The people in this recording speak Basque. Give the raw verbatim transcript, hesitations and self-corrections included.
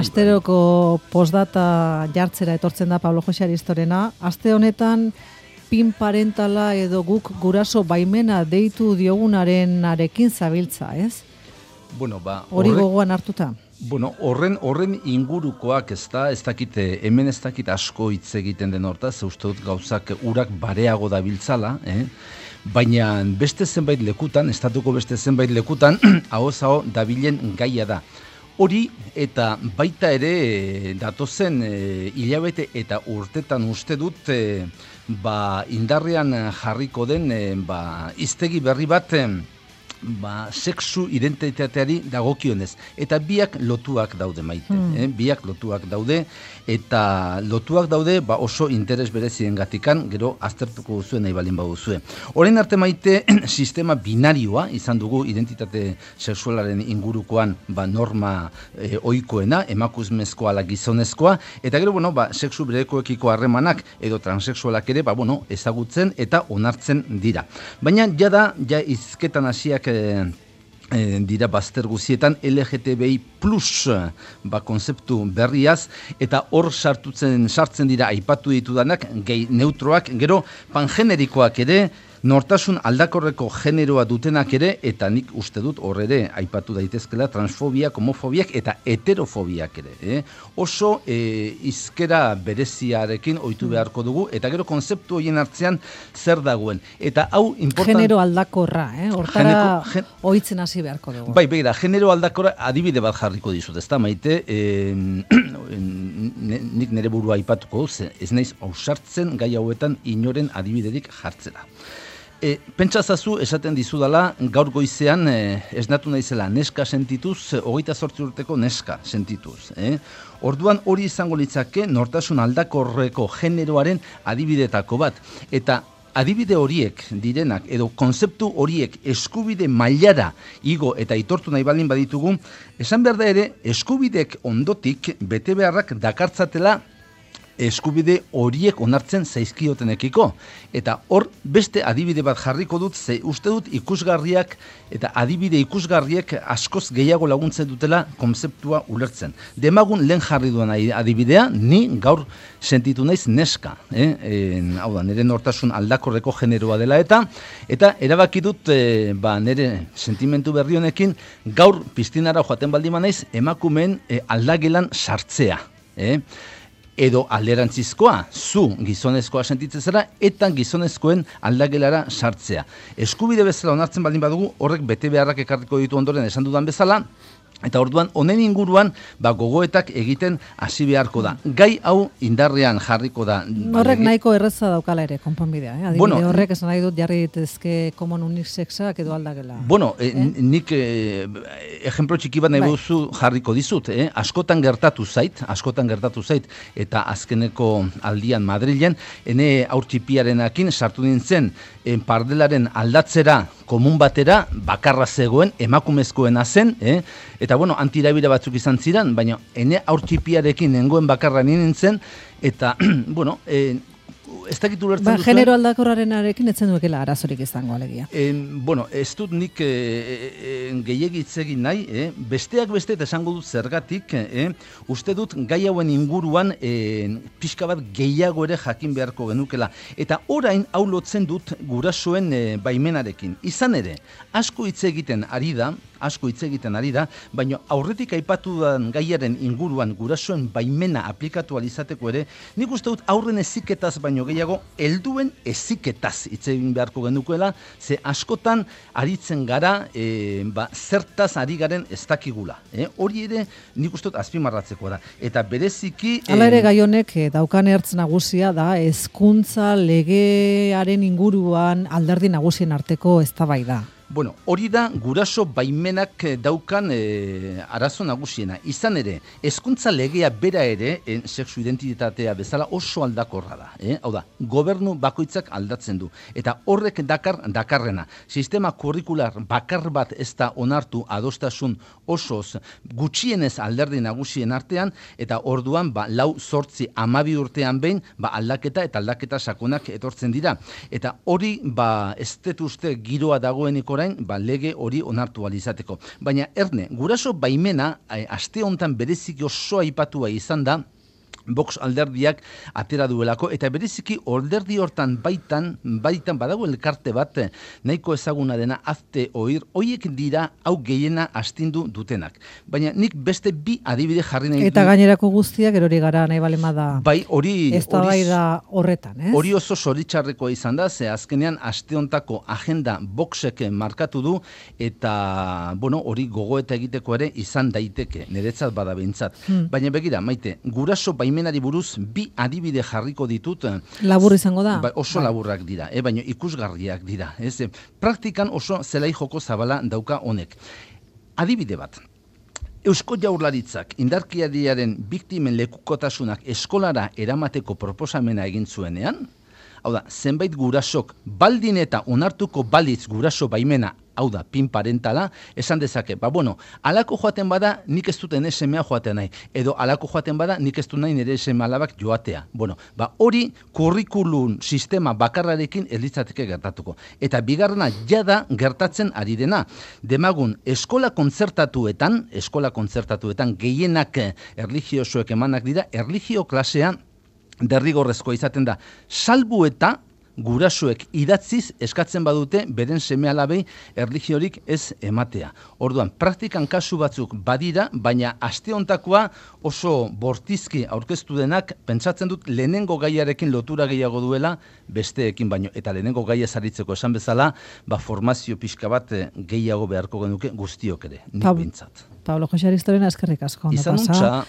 Asteroko postdata jartzera etortzen da Pablo Jose Aristorena. Aste honetan pin parentala edo guk guraso baimena deitu diogunaren arekin zabiltza, ez? Bueno, ba, hori gogoan hartuta. Bueno, horren horren ingurukoak ez da, ez dakite, hemen ez dakit asko hitz egiten den hortaz, uste dut gauzak urak bareago dabiltzala, eh? Baina beste zenbait lekutan, estatuko beste zenbait lekutan, ahoz-aho dabilen gaia da. Hori eta baita ere datozen e, hilabete eta urtetan uste dut e, ba, indarrean jarriko den e, ba, hiztegi berri bat e, ba, sexu identitateari dagokionez. Eta biak lotuak daude maite. Hmm. Eh? Biak lotuak daude eta lotuak daude ba, oso interes berezien gatikan, gero aztertuko duzuen nahi balin baduzue. Orain arte maite sistema binarioa izan dugu identitate sexualaren ingurukoan ba, norma e, ohikoena, emakumezkoa ala gizonezkoa, eta gero bueno, ba, sexu berekoekiko harremanak edo transexualak ere ba, bueno, ezagutzen eta onartzen dira. Baina jada ja hizketan hasiak E, e, dira bazter guzietan L G T B I plus ba, konzeptu berriaz, eta hor sartutzen sartzen dira aipatu ditudanak gay neutroak, gero pangenerikoak ere, nortasun aldakorreko generoa dutenak ere, eta nik uste dut hor ere aipatu daitezkela transfobiak, homofobiak eta heterofobiak ere. Eh? Oso e, hizkera bereziarekin ohitu beharko dugu, eta gero konzeptu horien hartzean zer dagoen. Eta hau important... Genero aldakorra, eh? Hortara gen... ohitzen hasi beharko dugu. Bai, begira, genero aldakorra adibide bat jarriko dizut, ezta maite, e, nik nire burua aipatuko, ez naiz ausartzen gai hauetan inoren adibiderik jartzera. E, pentsazazu esaten dizudala gaur goizean e, esnatu naizela neska sentituz, hogeita zortzi urteko neska sentituz. Eh? Orduan hori izango litzake nortasun aldakorreko generoaren adibidetako bat. Eta adibide horiek direnak edo konzeptu horiek eskubide mailara igo eta aitortu nahi baldin baditugu, esan behar da ere eskubidek ondotik bete beharrak dakartzatela eskubide horiek onartzen zaizkiotenekiko. Eta hor beste adibide bat jarriko dut, ze uste dut ikusgarriak eta adibide ikusgarriek askoz gehiago laguntzen dutela konzeptua ulertzen. Demagun lehen jarri duan adibidea, ni gaur sentitu naiz neska. Eh? E, hau da, nire nortasun aldakorreko generoa dela eta, eta erabaki dut e, ba, nire sentimentu berri honekin gaur piztinara joaten baldima naiz emakumeen e, aldagelan sartzea. Eh? Edo alderantzizkoa, zu gizonezkoa sentitzen zara, eta gizonezkoen aldagelara sartzea. Eskubide bezala onartzen baldin badugu, horrek bete beharrak ekarriko ditu ondoren esan dudan bezala, eta orduan honen inguruan ba, gogoetak egiten hasi beharko da. Gai hau indarrean jarriko da. Horrek nahiko erreza daukala ere, konponbidea. Eh? Adibide bueno, horrek esan nahi dut jarri ditezke common unisexak edo aldagela. Bueno, eh? Eh, nik eh, ejemplo txiki bat nahi bai. Buzu jarriko dizut. Eh? Askotan gertatu zait, askotan gertatu zait, eta azkeneko aldian Madrilen, ene aurtxipiarenakin sartu nintzen eh, pardelaren aldatzera komun batera, bakarra zegoen, emakumezkoena zen, eh? Eta bueno, antirabira batzuk izan ziren, baina ene aurtxipiarekin nengoen bakarra nintzen, eta, bueno, eh, ez dakit ulertzen ba, duzuen... Genero aldakorraren arekin etzen duekela arazorik izango alegia. Eh, bueno, ez dut nik eh, eh, gehiagitz egin nahi, eh? Besteak beste eta esango dut zergatik, eh? Uste dut gai hauen inguruan eh, pixka bat gehiago ere jakin beharko genukela. Eta orain hau lotzen dut gurasoen eh, baimenarekin. Izan ere, asko hitz egiten ari da, asko hitz egiten ari da, baina aurretik aipatu den gaiaren inguruan gurasoen baimena aplikatu alizateko ere, nik uste dut aurren heziketaz baino gehiago, helduen heziketaz hitz egin beharko genukeela, ze askotan aritzen gara e, ba, zertaz ari garen ez dakigula. Eh? Hori ere nik uste dut azpimarratzeko da. Eta bereziki... Hala ere gai honek daukan ertz nagusia da hezkuntza legearen inguruan alderdi nagusien arteko eztabaida. Bueno, hori da guraso baimenak daukan e, arazo nagusiena. Izan ere, hezkuntza legea bera ere, en, sexu identitatea bezala oso aldakorra da. Eh? Hau da, gobernu bakoitzak aldatzen du. Eta horrek dakar dakarrena. Sistema kurrikular bakar bat ez da onartu adostasun osoz gutxienez alderdi nagusien artean, eta orduan ba, lau zortzi amabi urtean behin ba, aldaketa eta aldaketa sakonak etortzen dira. Eta hori ba, ez dut uste giroa dagoenik orain ba, lege hori onartu alizateko. Baina erne, guraso baimena aste hontan bereziki oso aipatua izan da, Vox alderdiak atera duelako, eta bereziki alderdi hortan baitan, baitan badago elkarte bat, nahiko ezaguna dena azte oir, hoiek dira hau gehiena astindu dutenak. Baina nik beste bi adibide jarri nahi Eta gainerako guztiak erori gara nahi balema da. Bai, hori... Ez da bai da horretan, ez? Hori oso zoritxarrekoa izan da, ze azkenean aste hontako agenda Voxek markatu du, eta, bueno, hori gogoeta egiteko ere izan daiteke, niretzat bada behintzat. Hmm. Baina begira, Maite, guraso baimenari buruz bi adibide jarriko ditut. Labur izango da? Ba, oso bai. Laburrak dira, eh, baina ikusgarriak dira. Ez? Praktikan oso zelai joko zabala dauka honek. Adibide bat. Eusko Jaurlaritzak indarkeriaren biktimen lekukotasunak eskolara eramateko proposamena egin zuenean, hau da, zenbait gurasok baldin eta onartuko balitz guraso baimena, hau da, pin parentala, esan dezake, ba bueno, alako joaten bada nik ez duten esemea joatea nahi, edo alako joaten bada nik ez du nahi nire eseme alabak joatea. Bueno, ba hori kurrikulum sistema bakarrarekin ez litzateke gertatuko. Eta bigarrena jada gertatzen ari dena. Demagun, eskola kontzertatuetan, eskola kontzertatuetan gehienak erlijiosoek emanak dira, erlijio klasea derrigorrezkoa izaten da, salbu eta gurasoek idatziz eskatzen badute beren seme-alabei erlijiorik ez ematea. Orduan, praktikan kasu batzuk badira, baina aste hontakoa oso bortizki aurkeztu denak, pentsatzen dut lehenengo gaiarekin lotura gehiago duela besteekin baino. Eta lehenengo gaia zaritzeko esan bezala, ba formazio pixka bat gehiago beharko genuke guztiok ere, nik bintzat. Pablo Jose Aristorena eskerrik asko. Izan untxa.